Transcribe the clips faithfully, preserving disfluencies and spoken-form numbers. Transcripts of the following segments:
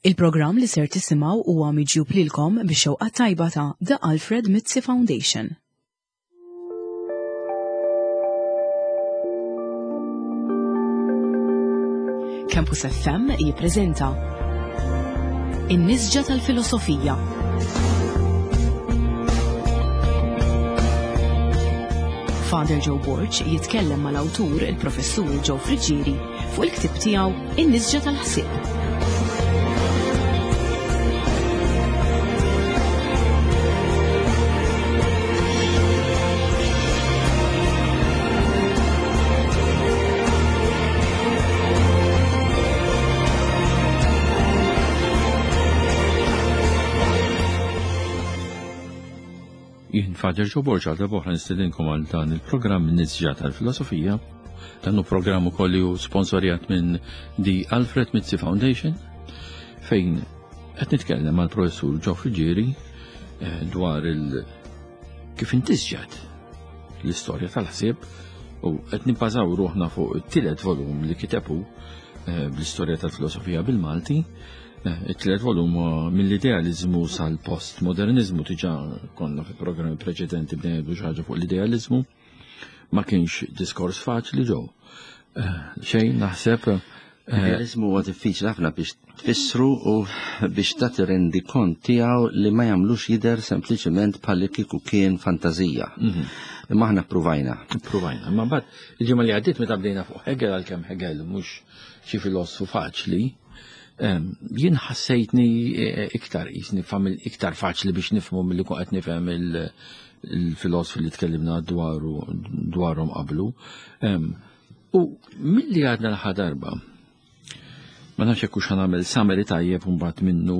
Il-programm li ser tisimgħu huwa miġjub lilkom bix-xewqa tajba ta' The Alfred Mizzi Foundation. Campus F M jippreżenta In-Nisġa tal-Filosofija. Father Joe Borg jitkellem mal-awtur il-Professur Joe Friggieri fuq il-ktieb tiegħu In-Nisġa tal-Ħsieb. Jien Father Joe Borg għal darba nistedinkom għal dan il-programm Nisġa tal-Filosofija. Dan hu programm ukoll li hu sponsorjat minn The Alfred Mizzi Foundation, fejn qed nitkellem mal-Professur Joe Friggieri, eh, dwar il kif intisġat l-istorja tal-ħsieb, u qed nibbażaw ruħna fuq it-tielet volum li kitebu, eh, bl-istorja tal-filosofija bil-Malti. Eh, it-tielet volum huwa mill-idealizmu sal-postmodernizmu. Diġà konna fi programmi preċedenti bdejna ngħidu xi ħaġa fuq l-idealizmu. Ma kienx diskors faċli ġew. Eh, xejn naħseb, eh, L-idealizmu huwa diffiċli ħafna biex tfissru u biex tagħti rendikont tiegħu li ma jagħmlux jidher sempliċement bħal kieku kien fantażija. Mhm. Imma aħna ppruvajna. Ppruvajna. Imma mbagħad il-ġimgħa li għaddiet meta bdejna fuq Hegel, għalkemm Hegel mhux xi filosfu faċli, em, jien ħassejtni, eh, iktar jisni famil iktar faċli biex nifhmu milli kont qed nifhem il-, il-filosofi li tkellimna dwaru, dwarhom qablu. Em, u milli għadna l-aħħar darba, ma nafx jekk hux ħanagħmel summary tajjeb u mbagħad minnu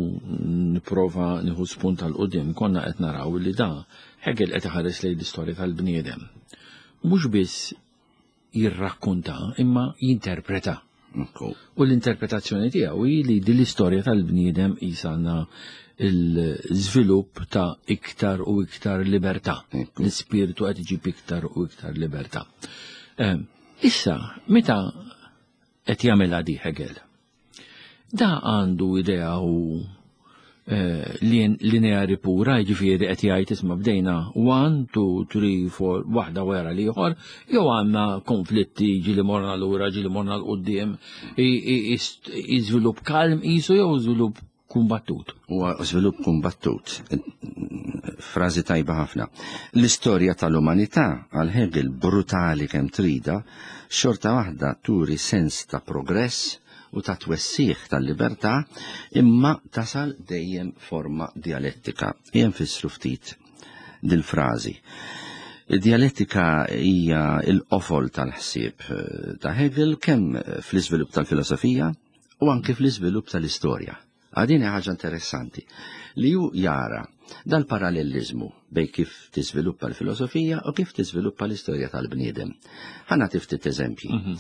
nipprova nieħu spunt għal quddiem, konna qed naraw li da Hegel qed iħares lejn l-istorja tal-bniedem. Mhux biss jirrakkonta imma jinterpreta. Ekku. U l-interpretazzjoni tiegħu hi li din l-istorja tal-bniedem qisha għandna l-żvilupp ta' iktar u iktar libertà. Ekku. L-ispirtu qed iġib iktar u iktar libertà. Ehm, issa, meta qed jagħmilha di Hegel, da għandu idea u, eh, lin-, lineari pura, jiġifieri qed jgħid isma' bdejna one, two, three, four, waħda wara l-ieħor, jew għandna konflitti ġieli morna lura, ġieli morna l quddiem, i-, i-, i-, i-, żvilupp kalm qisu jew żvilupp kumbattut? Huwa żvilupp kumbattut. Frażi tajba ħafna. L-istorja tal-umanità għal Hegel brutali kemm trida, xorta waħda turi sens ta' progress u ta' twessiħ tal-libertà, imma tasal dejjem forma dialettika. Jien fissru ftit dil-frażi. Id-dialettika hija l-qofol tal-ħsieb, eh, ta' Hegel kemm fl-iżvilupp tal-filosofija u anke fl-iżvilupp tal-istorja. Għadini ħaġa interessanti li ju jara dal-parallelizmu bej kif tiżviluppa l-filosofija u kif tiżviluppa l-istorja tal-bniedem. Ħa nagħti ftit eżempji. Mhm.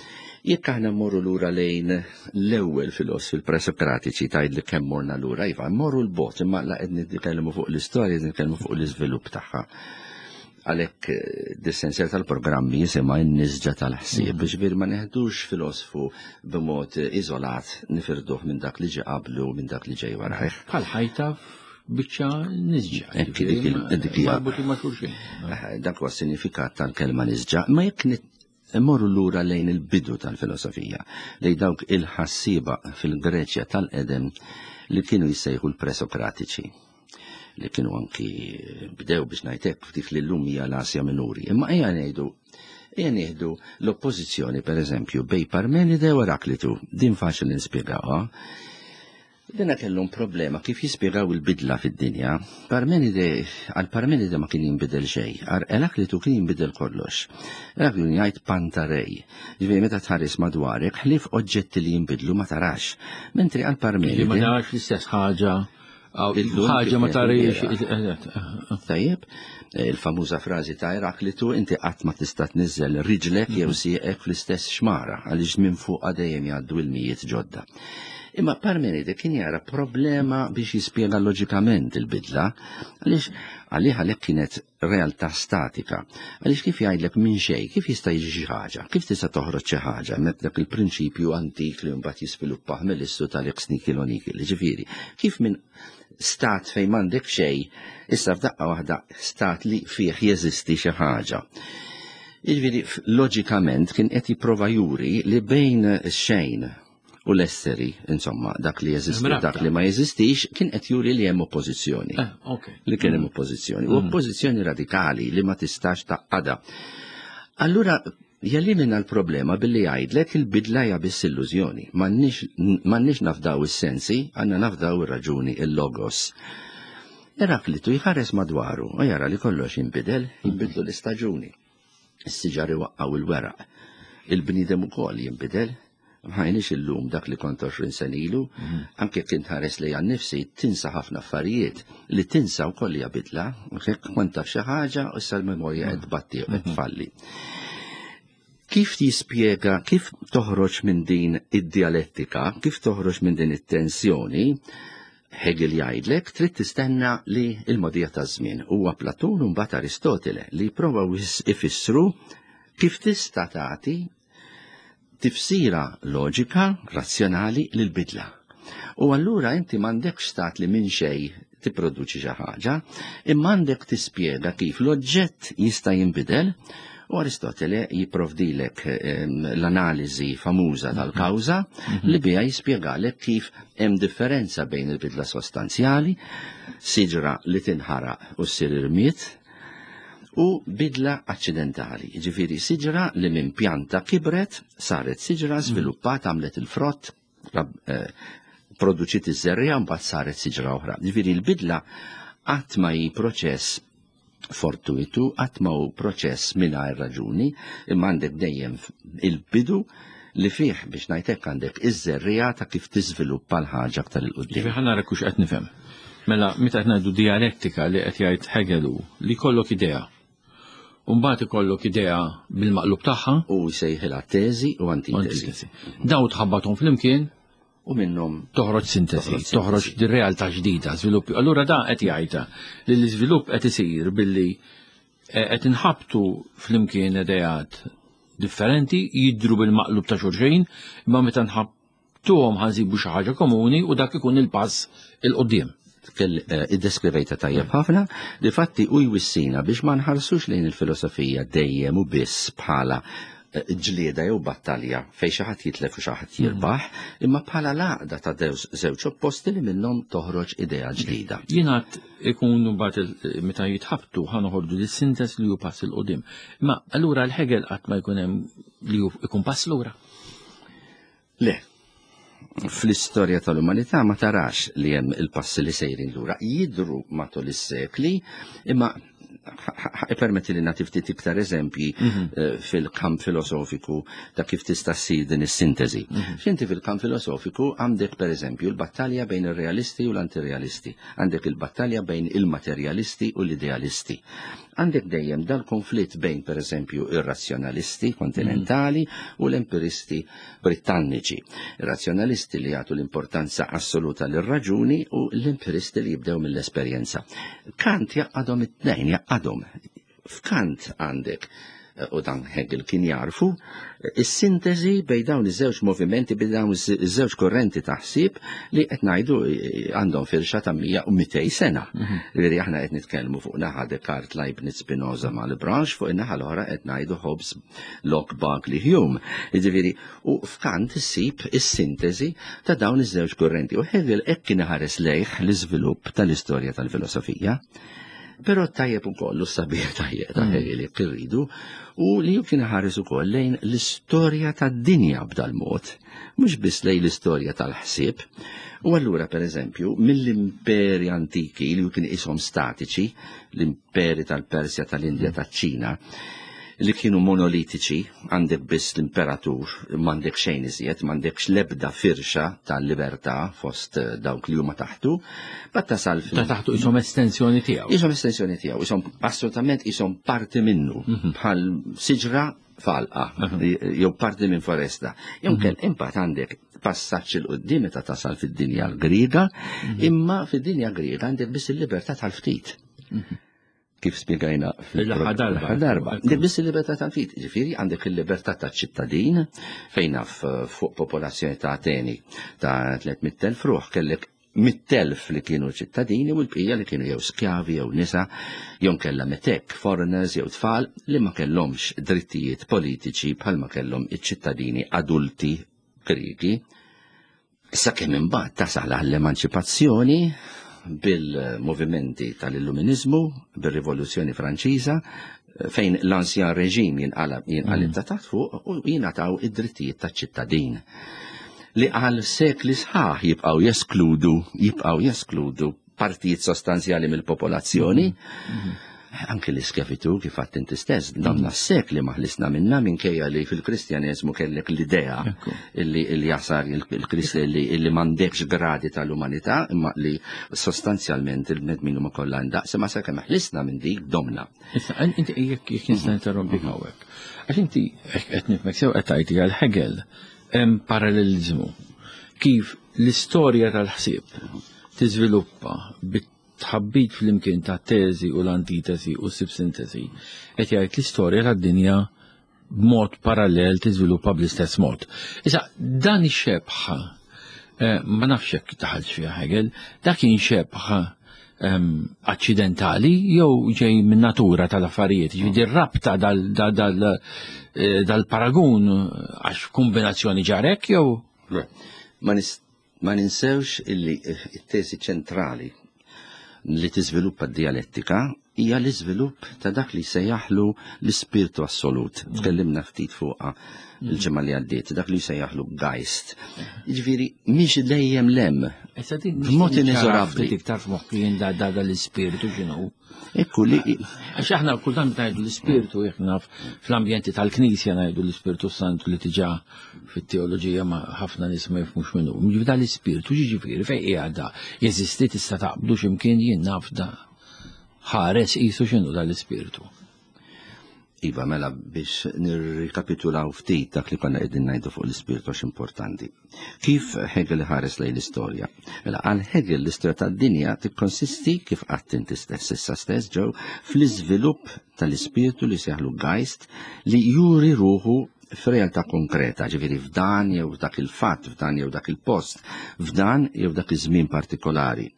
Jekk aħna mmorru lura lejn l-ewwel filosofi l-presokratiċi, tgħid li kemm morna lura, iva, mmorru l-bot, imma la qed nitkellmu fuq l-istorja, qed nitkellmu fuq l-iżvilupp tagħha. Għalhekk, eh, dis-sensjer tal-programmi jisimha n-nisġa tal-ħsieb, Mhm. biex bir ma neħdux filosofu b'mod iżolat, nifirduh minn dak li ġie qablu u minn dak li ġej warajh. Bħal ħajta biċċa nisġa, Ekk, dik il- ġifieri, dik hija. marbuti ma' xulxin. Eh, dak huwa s-sinifikat tal-kelma nisġa, ma jekk nit-, immorru lura lejn il-bidu tal-filosofija, lejn dawk il-ħassieba fil-Greċja tal-qedem li kienu jissejħu l-presokratiċi, li kienu anki bdew biex ngħidlek ftit li llum hija l-Asja Minuri. Imma ejja ngħidu, ejja nieħdu l-oppożizzjoni pereżempju bej Parmenide u Eraklitu, din faċli nispjegawha. Dina kellhom problema kif jispjegaw il-bidla fid-dinja. Parmenide, għal Parmenide ma kien jinbidel xejn, għal Eraklitu kien jinbidel kollox. Eraklitu jgħid pantarej, ġifieri meta tħares madwarek ħlief oġġetti li jinbidlu ma tarax. Mentri għal Parmenide Ma tarax l-istess ħaġa, aw, Illum ħaġa ma kif tarix. il-bira. Tajjeb, il-famuża frażi ta' Eraklitu, inti qatt ma tista' tniżżel riġlek jew Mhm. sieqek fl-istess xmara, għaliex minn fuq dejjem jgħaddu il-mijiet ġodda. Imma Parmenide kien jara problema biex jispjega loġikament il-bidla, għaliex għalih għalhekk kienet realtà statika. Għaliex kif jgħidlek minn xejn, kif jista' jiġi xi ħaġa, kif tista' toħroġ xi ħaġa, hemmhekk dak il-prinċipju antik li mbagħad jiżviluppah mill-issu tal-ex nihilo nihil, ġifieri, kif minn stat fejn m'għandek xejn, issa f'daqqa waħda stat li fih jeżisti xi ħaġa. Jiġifieri loġikament kien qed jipprova juri li bejn xejn u l-esseri, insomma, dak li jeżisti, dak li ma jeżistix, kien qed juri li hemm oppożizzjoni. Eh, Li kien hemm oppożizzjoni. U oppożizzjoni radikali li ma tistax taqada. Allura, jelimina l-problema billi jgħidlek il-bidla hija biss illużjoni. M'għandniex nafdaw is-sensi, għandna nafdaw ir-raġuni, il-logos. Eraklitu jħares madwaru u jara li kollox jinbidel, jinbidlu l-istaġuni. Is-siġar iwaqqgħu il-weraq. Il-bniedem ukoll jinbidel, m'aħniex illum dak li kont għoxrin sena ilu, anke kien tħares li għan nifsi tinsa ħafna affarijiet li tinsa wkoll hija bidla, kont taf xi ħaġa u issa l-memorja qed tbatti u qed tfalli. Kif jispjega, kif toħroġ minn din id-dialettika, kif toħroġ minn din it-tensjoni, Hegel jgħidlek trid tistenna li il-mogħdija taż-żmien huwa Platun u mbagħad Aristotele li jipprovaw ifissru kif tista' tagħti tifsira loġika, razzjonali lil-bidla. U allura inti m'għandekx stat li minn xejn tipproduċi xi ħaġa, imma għandek tispjega kif l-oġġett jista' jinbidel. U Aristotele jipprovdilek l-analiżi famuża tal-kawża li biha jispjegalek kif hemm differenza bejn il-bidla sostanzjali, siġra li tinħaraq u ssir irmied, u bidla accidentali. Ġifieri siġra li minn pjanta kibret, saret siġra, żviluppat, għamlet il-frott, produċiet iż-żerriegħa, mbagħad saret siġra oħra. Ġifieri l-bidla qatt ma hi proċess fortuitu, qatt ma hu proċess mingħajr raġuni, imma għandek dejjem il-bidu li fih biex ngħidlek għandek iż-żerriegħa ta' kif tiżviluppa l-ħaġa aktar 'il quddiem. Ġifieri ħa nara kux qed nifhem. Mela, meta qed ngħidu dialettika li qed jgħid Hegel hu li jkollok idea. U mbagħad ikollok idea bil-maqlub tagħha. U jsejħilha teżi u antitesi. Daw tħabbathom flimkien u minnhom toħroġ sintesi, toħroġ di realtà ġdida, żviluppi. Allura da qed jgħidha li l-iżvilupp qed isir billi qed inħabtu flimkien ideat differenti jidru bil-maqlub ta' xulxin, imma meta nħabtuhom ħa nsibu xi ħaġa komuni u dak ikun il-pass 'il quddiem. Iddeskrivejta tajjeb ħafna, li fatti u jwissina biex ma nħarsux lejn il-filosofija dejjem u biss bħala ġlieda jew battalja fejn xi ħadd jitlef u xi ħadd jirbaħ, imma bħala l-għaqda ta' żewġ opposti li minnhom toħroġ idea ġdida. Jiena ikun mbagħad meta jitħabtu ħa noħorġu lis-sintesi li hu pass 'il quddiem. Imma allura l-Hegel qatt ma jkun hemm li jkun pass lura. Le. Fl-istorja tal-umanità ma tarax li hemm il-passi li sejrin lura. Jidru matul is-sekli, imma permetti li nagħti ftit iktar eżempji fil-kamp filosofiku ta' kif tista' ssir din is-sintesi. X'inti fil-kamp filosofiku għandek pereżempju l-battalja bejn ir-realisti u l-antirealisti, għandek il-battalja bejn il-materjalisti u l-idealisti. Għandek dejjem dal-konflitt bejn pereżempju ir-razzjonalisti kontinentali u l-empiristi britanniċi. Ir-razzjonalisti li jagħtu l-importanza assoluta lir-raġuni u l-empiristi li jibdew mill-esperjenza. Kant jaqadhom it-tnejn, jaqadhom. F'Kant għandek, u dan Hegel kien jarfu, is-sintesi bejn dawn iż-żewġ movimenti, bejn dawn iż-żewġ korrenti ta' ħsieb li qed ngħidu għandhom firxa ta' mija u mitej sena. Ġifieri aħna qed nitkellmu fuq naħa Descartes, Leibniz, Spinoza, Malebranche, fuq in-naħa l-oħra qed ngħidu Hobbes, Locke, Berkeley, Hume. Ġifieri, u f'Kant issib is-sintesi ta' dawn iż-żewġ korrenti. U Hegel hekk kien iħares lejh l-iżvilupp tal-istorja tal-filosofija. Però tajjeb ukoll u sabiħ tajjeb ta' Hegel jekk irridu, u li kien ħares ukoll lejn l-istorja tad-dinja b'dal-mod, mhux biss lejn l-istorja tal-ħsieb. U allura pereżempju mill-imperi antiki li kien ishom statiċi, l-imperi tal-Persja, tal-Indja, taċ-Ċina, li kienu monolitiċi, għandek biss l-imperatur, m'għandek xejn iżjed, m'għandekx l-ebda firxa tal-libertà fost dawk li huma taħtu, bat tasal fil- Ta' taħtu ishom estensjoni tiegħu. Ishom estensjoni tiegħu, ishom assolutament ishom parti minnu, bħal siġra falqa, jew parti minn foresta. Jew kell imbagħad għandek passaġġ 'il quddiem meta tasal fid-dinja l-Griega, imma fid-dinja Griega għandek biss il-libertà tal-ftit. Kif spjegajna L-aħħar darba. fil-aħħar darba. Għandek biss il-libertà tal-ftit, ġifieri għandek il-libertà taċ-ċittadin fejn naf fuq popolazzjoni ta' Ateni ta' tliet mitt elf ruħ kellek mitt elf li kienu ċittadini u l-bqija li kienu jew skjavi jew nisa jew kellha metek, foreigners jew tfal li ma kellhomx drittijiet politiċi bħalma kellhom iċ-ċittadini adulti Griegi. Issa kemm imbagħad tasal għall-emanċipazzjoni bil-movimenti tal-Illuminizmu, bir-Rivoluzzjoni Franċiża, fejn l-ansjan reġim jinqalab jinqalib ta' taħt fuq u jingħataw id-drittijiet taċ-ċittadin li għal sekli sħaħ jibqgħu jeskludu, jibqgħu jeskludu partijiet sostanzjali mill-popolazzjoni. Anke l-iskjavitu kif għedt inti stess, damna sekli ma ħlisna minna minkejja li fil-Kristjaneżmu kellek l-idea Ekku. illi illi jasar il-Krist illi illi m'għandekx gradi tal-umanità, imma li sostanzjalment il-bnedmin huma kollha ndaqs, imma sakemm ħlisna minn dik domna. Issa, inti jekk jekk nista' interrompi hawnhekk. Għax inti qed nifhmek sew qed tgħid għal Hegel hemm parallelizmu kif l-istorja tal-ħsieb tiżviluppa bit-tħabbit flimkien ta' teżi u l-antitesi u s-sintesi, qed jgħid l-istorja tad-dinja b'mod parallel tiżviluppa bl-istess mod. Issa, dan ix-xebħ, eh, ma nafx jekk daħalx fiha Hegel, dak kien xebħ ehm, aċċidentali jew ġej minn natura tal-affarijiet, ġifieri rabta dal- dal- dal- eh, dal-paragun għax kombinazzjoni ġarek jew Ma nis- ma ninsewx illi it-teżi ċentrali li tiżviluppa d-dialettika hija l-iżvilupp ta' dak li sejjaħlu l-ispirtu assolut. Tkellimna ftit fuqha il-ġimgħa li għaddiet, dak li sejjaħlu Geist. Jiġifieri mhix dejjem lem. Issa din B'mod ineżorabbli. Ftit iktar f'moħħi jien da da l-ispirtu x'inhu. Ekku li Għax aħna kultant ngħidu l-ispirtu jekk naf fl-ambjenti tal-Knisja ngħidu l-Ispirtu Santu li diġà fit-teoloġija ma ħafna nies ma jifhmux minnu. Ġifieri da l-ispirtu ġifieri fejn qiegħed da? Jeżisti tista' taqbdu x'imkien jien naf da. Ħares qisu x'inhu da l-ispirtu. Iva, mela biex nirrikapitulaw ftit dak li konna qegħdin ngħidu fuq l-ispirtu għax importanti. Kif Hegel ħares lejn l-istorja? Mela għal Hegel l-istorja tad-dinja tikkonsisti kif qatt inti stess issa stess ġew fl-iżvilupp tal-ispirtu li seħlu Geist li juri ruħu f'realtà konkreta, ġifieri f'dan jew dak il-fatt, f'dan jew dak il-post, f'dan jew dak iż-żmien partikolari.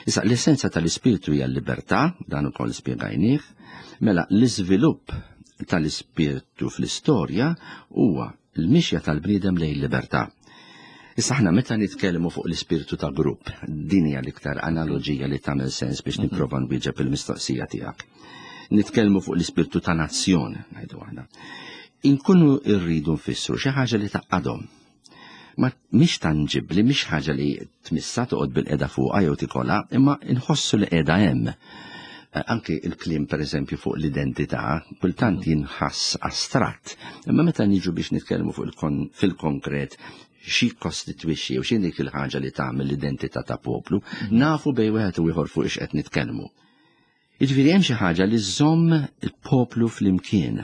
Issa l-essenza tal-ispirtu hija l-libertà, dan ukoll spjegajnieh, mela l-iżvilupp tal-ispirtu fl-istorja huwa l-mixja tal-bniedem lejn libertà. Issa aħna meta nitkellmu fuq l-ispirtu ta' grupp, din hija l-iktar analoġija li tagħmel sens biex nipprova nwieġeb il-mistoqsija tiegħek. Nitkellmu fuq l-ispirtu ta' nazzjon, ngħidu aħna. Inkunu rridu nfissru xi ħaġa li taqadhom. Ma mhix tanġibbli, mhix ħaġa li tmissa toqgħod bil-qeda fuqha jew tikolha, imma nħossu li qiegħda hemm. Eh, Anki il-kliem per eżempju fuq l-identità, kultant jinħass astratt. Imma meta niġu biex nitkellmu fuq il-kon- fil-konkret xi kostitwixxi u x'in dik il-ħaġa li tagħmel l-identità ta' poplu, nafu bejn wieħed u ieħor fuq ix qed nitkellmu. Jiġifieri hemm xi ħaġa li żżomm il-poplu flimkien.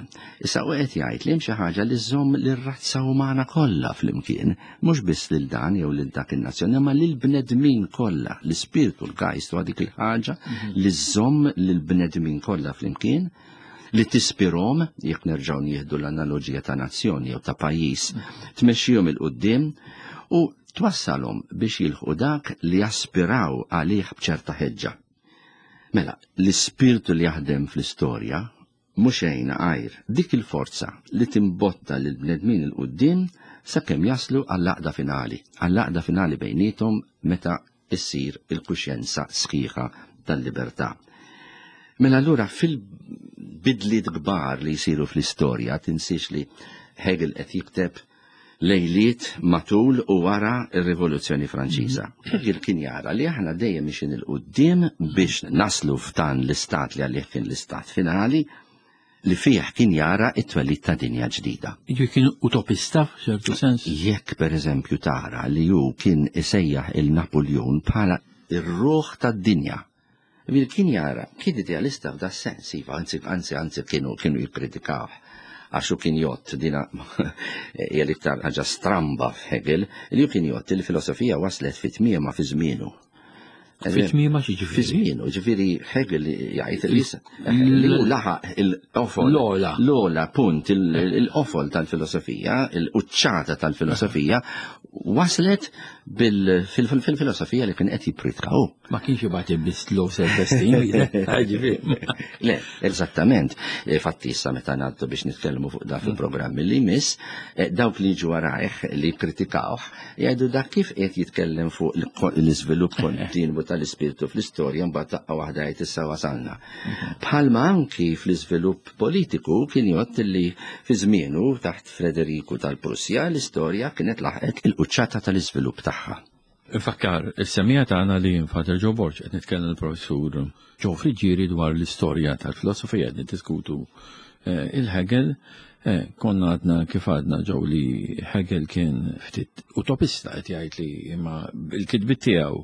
Issa u qed jgħid li hemm xi ħaġa li żżomm lir-razza umana kollha flimkien, mhux biss lil dan jew lil dak in-nazzjon, imma lil bnedmin kollha. L-ispirtu l-Geist huwa dik il-ħaġa li żżomm lil bnedmin kollha flimkien, li tispirhom, jekk nerġgħu nieħdu l-analoġija ta' nazzjoni jew ta' pajjiż, tmexxihom 'il quddiem u twassalhom biex jilħqu dak li jaspiraw għalih b'ċerta ħeġġa. Mela, l-ispirtu li jaħdem fl-istorja mhux xejn għajr dik il-forza li timbotta lil bnedmin 'il quddiem sakemm jaslu għall-għaqda finali, għall-għaqda finali bejniethom meta issir il-kuxjenza sħiħa tal-libertà. Mela allura fil-bidliet kbar li jsiru fl-istorja, tinsiex li Hegel qed jikteb lejliet matul u wara ir-Rivoluzzjoni Franċiża. Hegel kien jara li aħna dejjem mixin 'il quddiem biex naslu f'dan l-istat li għalih kien l-istat finali li fih kien jara it-twelid ta' dinja ġdida. Jiġifieri kien utopista f'ċertu sens. Jekk per eżempju tara li hu kien isejjaħ il-Napoleon bħala ir-ruħ tad-dinja. Bil kien jara, kien idealista f'da sens, iva, anzi, anzi, anzi kienu, kienu jikkritikawh. Għax hu kien jgħodd, dina hija l-iktar ħaġa stramba f'Hegel, li hu kien jgħodd il-filosofija waslet fi tmiema fi żmienu. Fi tmiema xi ġifieri? Fi żmienu, ġifieri Hegel jgħid li li hu laħaq il-qofol. L-ogħla. L-ogħla punt, il-qofol tal-filosofija, il-quċċata tal-filosofija, waslet fil-filosofija li kien qed jippritka hu. Ma kienx jibgħat biss low self-esteem, ġifieri. Le, eżattament. Fatti issa meta ngħaddu biex nitkellmu fuq dak il-programm li jmiss, dawk li jiġu warajh li kkritikawh jgħidu dak kif qed jitkellem fuq l-iżvilupp kontinwu tal-ispirtu fl-istorja mbagħad daqqa waħda jgħid issa wasalna. Bħalma anki fl-iżvilupp politiku kien jgħodd li fi żmienu taħt Frederiku tal-Prussja l-istorja kienet laħqet il-quċċata tal-iżvilupp tagħha. Infakkar, is-semmiegħa tagħna li Father Joe Borg qed nitkellem il-professur Joe Friggieri dwar l-istorja tal-filosofija qed niddiskutu il-Hegel. Konna għadna kif għadna ġew li Hegel kien ftit utopista qed jgħid li imma l-kitbiet tiegħu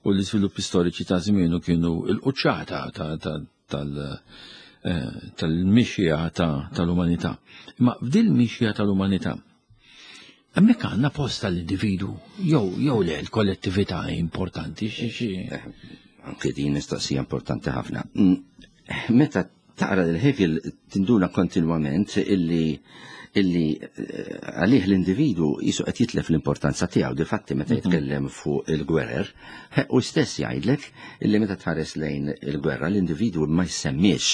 u l-iżviluppi storiċi ta' żmienu kienu l-quċċata tal-mixja tal-umanità. Imma f'dil mixja tal-umanità hemmhekk għandna post tal-individu jew jew le l-kollettività importanti xi xi. Anke din mistoqsija importanti ħafna. Meta taqra lil Hegel tinduna kontinwament illi illi għalih l-individu jisu qed jitlef l-importanza tiegħu. Difatti meta jitkellem fuq il-gwerer, u stess jgħidlek illi meta tħares lejn il-gwerra l-individu ma jsemmiex,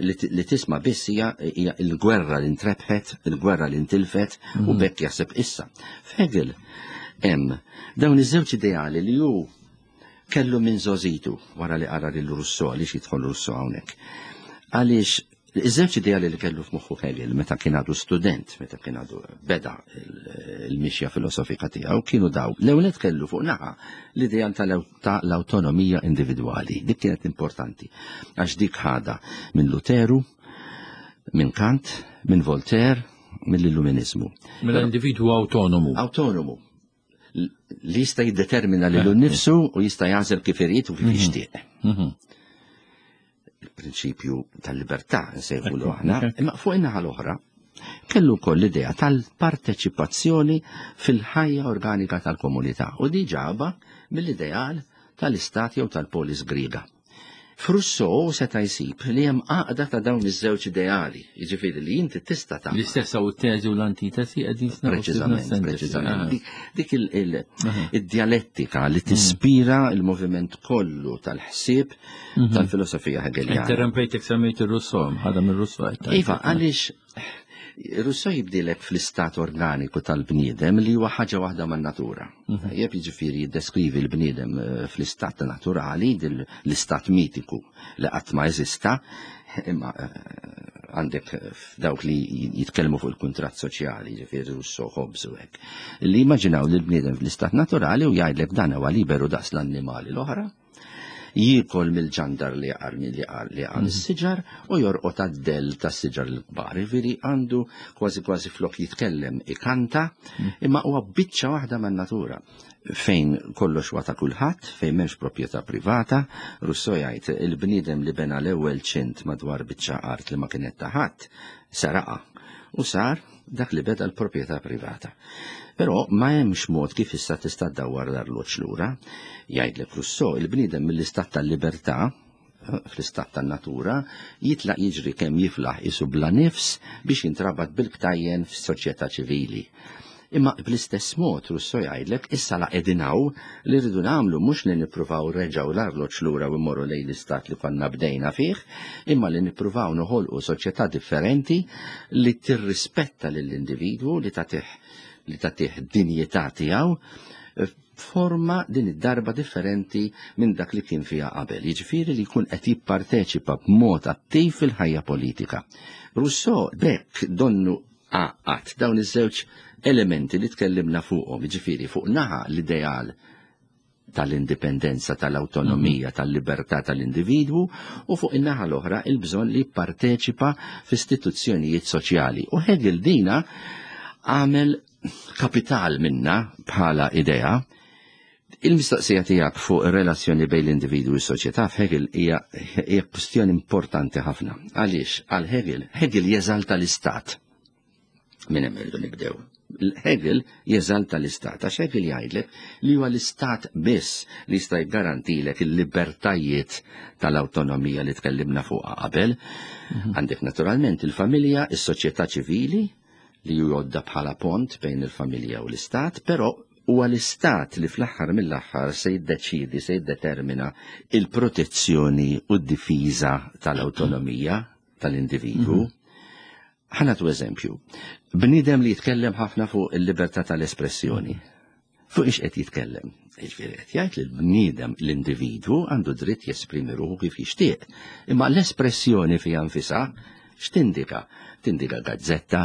li tisma' biss hija l-gwerra li ntrebħet, il-gwerra li ntilfet u bekk jaħseb issa. F'Hegel hemm dawn iż-żewġ ideali li hu kellu minn żożitu wara li qara lil Rousseau, għaliex jidħol Rousseau hawnhekk. Għaliex iż-żewġ ideali li kellu f'moħħu Hegel meta kien għadu student, meta kien għadu beda il-mixja filosofika tiegħu, kienu daw. L-ewwel kellu fuq naħa l-ideal tal-awtonomija individwali. Dik kienet importanti għax dik ħada minn Luteru, minn Kant, minn Voltaire, mill-Illuminizmu. Mill-individwu autonomu. Autonomu. Li jista' jiddetermina lilu nnifsu u jista' jagħżel kif irid u kif jixtieq. Il-prinċipju tal-libertà nsejħulu aħna, imma fuq in-naħa l-oħra kellu wkoll l-idea tal-parteċipazzjoni fil-ħajja organika tal-komunità u di ġaba mill-ideal tal-istat jew tal-polis Griega. F'Rousseau seta' jsib li hemm għaqda ta' dawn iż-żewġ ideali, jiġifieri li inti tista' tagħmel. L-istess hawn it-teżi u l-antitesi qegħdin Preċiżament, preċiżament. Dik id-dialettika li tispira il-moviment kollu tal-ħsieb tal-filosofija Hegeljana. Interrompejtek semmejt ir-Rousseau, ħadha mir-Rousseau. Iva, għaliex Rousseau jibdilek fl-istat organiku tal-bniedem li huwa ħaġa waħda man-natura. Jeb jiġifieri jiddeskrivi l-bniedem fl-istat naturali, l-istat mitiku li qatt ma jeżista, imma għandek dawk li jitkellmu fuq il-kuntratt soċjali, jiġifieri Rousseau, Hobbes u hekk, li immaġinaw li l-bniedem fl-istat naturali u jgħidlek dan huwa liberu daqs l-annimali l-oħra, jiekol mill-ġandar li jaqar li jaqar li jaqar is-siġar u jorqod għad-dell tas-siġar l-kbar. Jiġifieri għandu kważi kważi flok jitkellem ikanta, imma huwa biċċa waħda man-natura fejn kollox huwa ta' kulħadd, fejn m'hemmx proprjetà privata. Rousseau jgħid il-bniedem li bena l-ewwel ċint madwar biċċa art li ma kienet ta' ħadd saraqa u sar dak li beda l-proprjetà privata. Però ma hemmx mod kif issa tista' ddawwar l-arloġġ lura. Jgħidlek Rousseau, il-bniedem mill-istat tal-libertà, fl-istat tan-natura, jitlaq jiġri kemm jiflaħ isu bla nifs biex jintrabat bil-ktajjen fis-soċjetà ċivili. Imma bl-istess mod Rousseau jgħidlek issa la qegħdin hawn li rridu nagħmlu mhux li nippruvaw reġgħu l-arloġġ lura u mmorru lejn l-istat li konna bdejna fih, imma li nippruvaw noħolqu soċjetà differenti li tirrispetta lill-individwu, li tagħtih li tagħtih dinjità tiegħu forma din id-darba differenti minn dak li kien fiha qabel, jiġifieri li jkun qed jipparteċipa b'mod attiv fil-ħajja politika. Rousseau bekk donnu għaqqad dawn iż-żewġ elementi li tkellimna fuqhom, jiġifieri fuq naħa l-ideal tal-indipendenza, tal-autonomija, tal-libertà tal-individwu, u fuq in-naħa l-oħra il-bżonn li jipparteċipa f'istituzzjonijiet soċjali. U Hegel dina għamel kapital minna bħala idea Il-mistoqsija tiegħek fuq ir-relazzjoni bejn l-individwu u s-soċjetà f'Hegel hija hija kwestjoni importanti ħafna. Għaliex għal Hegel, Hegel jeżalta l-istat. Minn hemm irridu nibdew. Hegel jeżalta l-istat, għax Hegel jgħidlek li huwa l-istat biss li jista' jgarantilek il-libertajiet tal-awtonomija li tkellimna fuqha qabel. Għandek naturalment il-familja, is-soċjetà ċivili li jgħodda bħala pont bejn il-familja u l-istat, però huwa l-istat li fl-aħħar mill-aħħar se jiddeċidi, se jiddetermina il-protezzjoni u d-difiża tal-awtonomija tal-individwu. Ħa nagħtu eżempju. Bniedem li jitkellem ħafna fuq il-libertà tal-espressjoni. Fuq ix qed jitkellem? Jiġifieri qed jgħid li l-bniedem, l-individwu, għandu dritt jesprimi ruħu kif jixtieq. Imma l-espressjoni fiha nfisha x'tindika? Tindika gazzetta,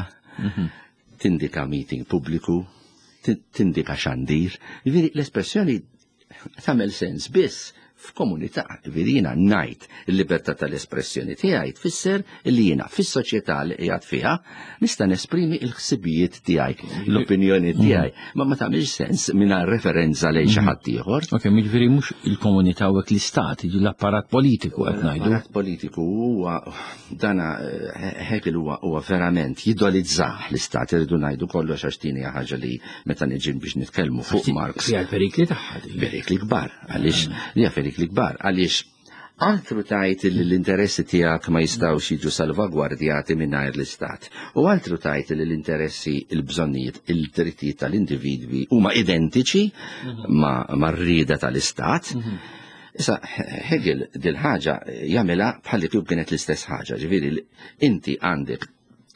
tindika meeting pubbliku, tindika xandir. Jiġifieri l-espressjoni tagħmel sens biss f'komunità. Jiġifieri jiena ngħid il-libertà tal-espressjoni tiegħi tfisser li jiena fis-soċjetà li qiegħed fiha nista' nesprimi l-ħsibijiet tiegħi, l-opinjoni tiegħi, ma ma tagħmilx sens mingħajr referenza lejn xi ħadd ieħor. Ok, jiġifieri mhux il-komunità u l-istat, l-apparat politiku qed ngħidu. L-apparat politiku huwa dana Hegel huwa huwa verament jidolizzah l-istat, irridu ngħidu kollox għax din hija ħaġa li meta niġi biex nitkellmu fuq Marx. Fiha l-perikli tagħha. Perikli kbar, għaliex li perikli kbar, għaliex altru tajt li l-interessi tiegħek ma jistgħux jiġu salvagwardjati mingħajr l-istat. U altru tajt li l-interessi, il-bżonnijiet, il-drittijiet tal-individwi huma identiċi ma' r-rieda tal-istat. Issa, Hegel dil-ħaġa jagħmilha bħalli kieku kienet l-istess ħaġa, ġifieri inti għandek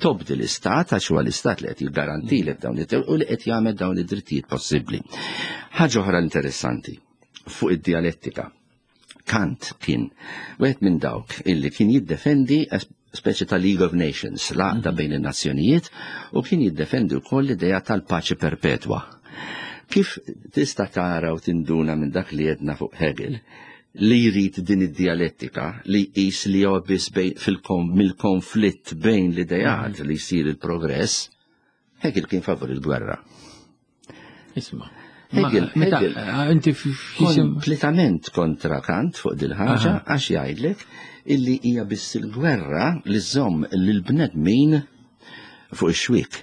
tobdi l-istat għax huwa l-istat li qed jiggarantilek dawn id u li qed jagħmel dawn id-drittijiet possibbli. Ħaġa oħra interessanti fuq id-dialettika. Kant kien wieħed minn dawk illi kien jiddefendi speċi ta' League of Nations, l-għaqda bejn in-nazzjonijiet, u kien jiddefendi wkoll l-idea tal-paċi perpetwa. Kif tista' tara u tinduna minn dak li jedna fuq Hegel, li jrid din id-dialettika li jqis li huwa biss mill-konflitt bejn l-ideat li jsir il-progress, Hegel kien favur il-gwerra. Isma'. Hegel, Hegel, inti kompletament kontra Kant fuq dil-ħaġa, għax jgħidlek illi hija biss il-gwerra li żomm lill-bnedmin fuq ix-xwiek.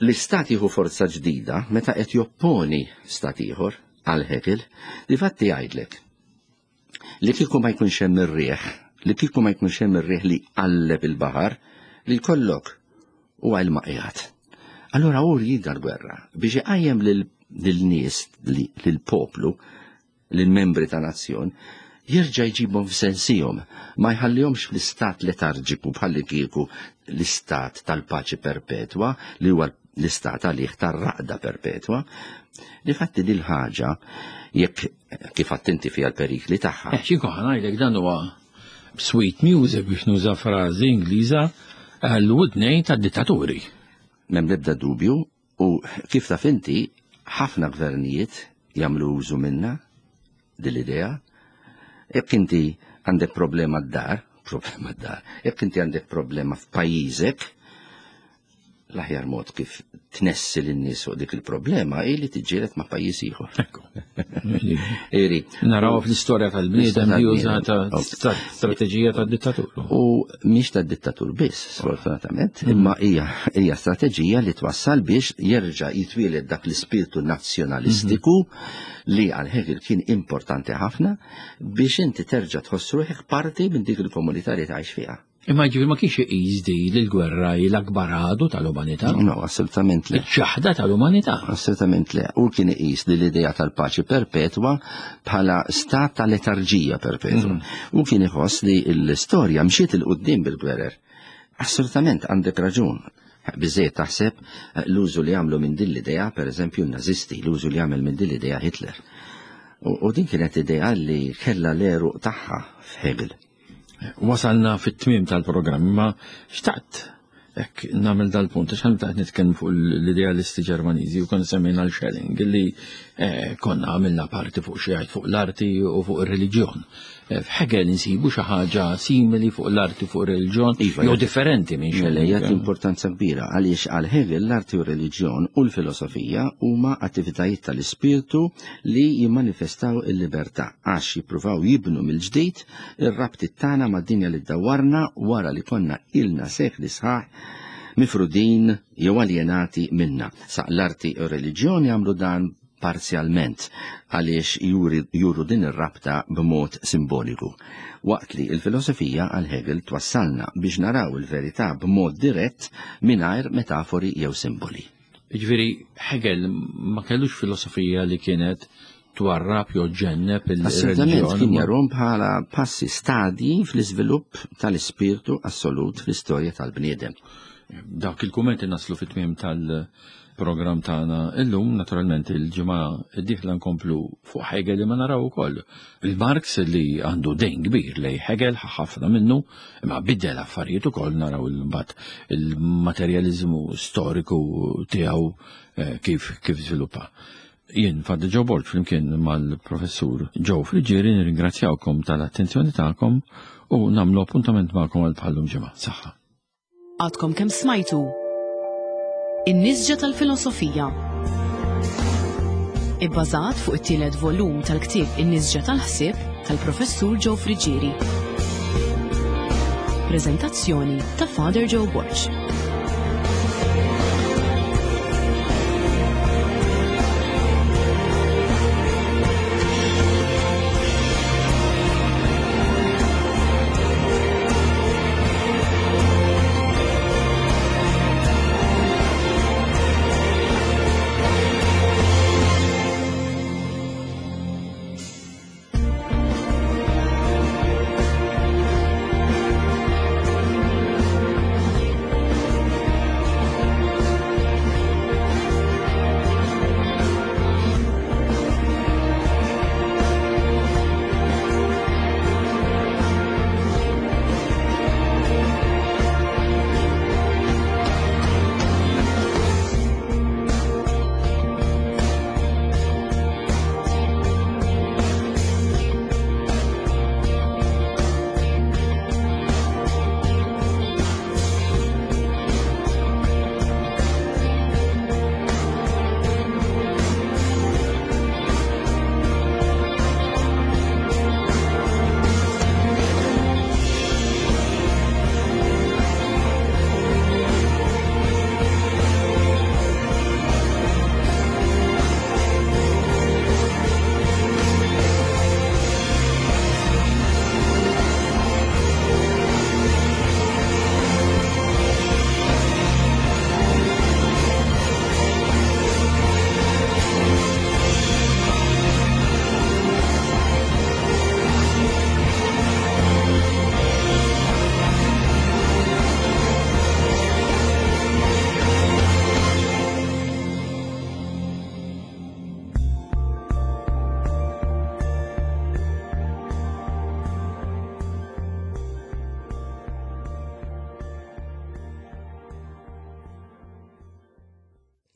L-istat jieħu forza ġdida meta qed jopponi stat ieħor għal Hegel, li fatti jgħidlek li kieku ma jkunx hemm ir-riħ, li kieku ma jkunx hemm ir-riħ li qalleb il-baħar, li jkollok huwa l-maqjat. Allura hu jrid l-gwerra biex iqajjem lil lil-nies, lil-poplu, lil-membri ta' nazzjon, jerġa' jġibhom f'sensihom, ma jħallihomx fl-istat letarġiku bħalli kieku l-istat tal-paċi perpetwa li huwa l-istat għalih tar-raqda perpetwa. Difatti dil ħaġa jekk kif attenti fiha l-perikli tagħha. Eh, xi ngħidlek dan huwa sweet music biex nuża frażi Ingliża għall-widnejn tad-dittaturi. M'hemm l-ebda dubju, u kif taf inti ħafna gvernijiet jagħmlu użu minna dil-idea. Jekk inti għandek problema d-dar, problema d-dar, jekk inti għandek problema f'pajjiżek, l-aħjar mod kif tnessi lin-nies fuq dik il-problema hi li tiġġieled ma' pajjiż ieħor. Ekku. Iri. Naraw fl-istorja tal-bniedem li użata strateġija tad-dittatur. U mhix tad-dittatur biss, sfortunatament, imma hija hija strateġija li twassal biex jerġa' jitwieled dak l-ispirtu nazzjonalistiku li għal Hegel kien importanti ħafna biex inti terġa' tħoss ruħek parti minn dik il-komunità li tgħix fiha. Imma ġifieri ma kienx iqis di li l-gwerra hi l-akbar għadu tal-umanità? No, assolutament le. Iċ-ċaħda tal-umanità. Assolutament le. U kien iqis li l-idea tal-paċi perpetwa bħala stat ta' letarġija perpetwa. U kien iħoss li l-istorja mxiet 'il quddiem bil-gwerer. Assolutament għandek raġun. Biżejjed taħseb l-użu li għamlu minn din l-idea, per eżempju, n-nazisti, l-użu li għamel minn din l-idea Hitler. U din kienet idea li kellha l-għeruq tagħha f'Hegel. Wasalna fit-tmiem tal-programm, ma xtaqt Ek, nagħmel dal-punt, għax meta qed nitkellmu fuq l-idealisti Ġermaniżi u konna semmejna l-Schelling, li eh, konna għamilna parti fuq xi fuq l-arti u fuq ir-reliġjon. Eh, F'Hegel insibu xi ħaġa simili fuq l-arti fuq ir-reliġjon, Iva, jew jagħti- differenti minn Mela Schelling. jagħti importanza kbira għaliex għal Hegel l-arti u r-reliġjon u l-filosofija huma attivitajiet tal-ispirtu li jimmanifestaw il-libertà għax jippruvaw jibnu mill-ġdid ir-rabtiet tagħna mad-dinja li ddawarna wara li konna ilna sekli sħaħ mifrudin jew aljenati minna. Sa l-arti u r-reliġjon jagħmlu dan parzjalment għaliex juri, juru din ir-rabta b'mod simboliku. Waqt li il-filosofija għal Hegel twassalna biex naraw il-verità b'mod dirett mingħajr metafori jew simboli. Jiġifieri Hegel ma kellux filosofija li kienet twarrab jew ġenneb Assolutament il-reliġjon. kien jarahom bħala passi stadji fl-iżvilupp tal-ispirtu assolut fl-istorja tal-bniedem. Dak il-kummenti naslu fit-tmiem tal-programm tagħna illum, naturalment il-ġimgħa d-dieħla nkomplu fuq Hegel li ma naraw ukoll. Il-Marx li għandu dejn kbir lej Hegel ħafna minnu, imma biddel affarijiet ukoll naraw il-mbagħad il-materjaliżmu storiku tiegħu eh, kif kif żviluppa. Jien Father Joe Borg flimkien mal-professur Joe Friggieri nirringrazzjawkom tal-attenzjoni tagħkom u nagħmlu appuntament magħkom għal bħallum ġimgħa. Saħħa. Għadkom kemm smajtu In-nisġa tal-filosofija. Ibbażat fuq it-tielet volum tal-ktieb In-nisġa tal-ħsieb tal-professur Joe Friggieri. Prezentazzjoni ta' Father Joe Borg.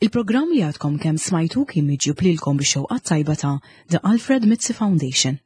Il-programm li għadkom kemm smajtu kien miġjub lilkom bix-xewqa tajba ta' The Alfred Mizzi Foundation.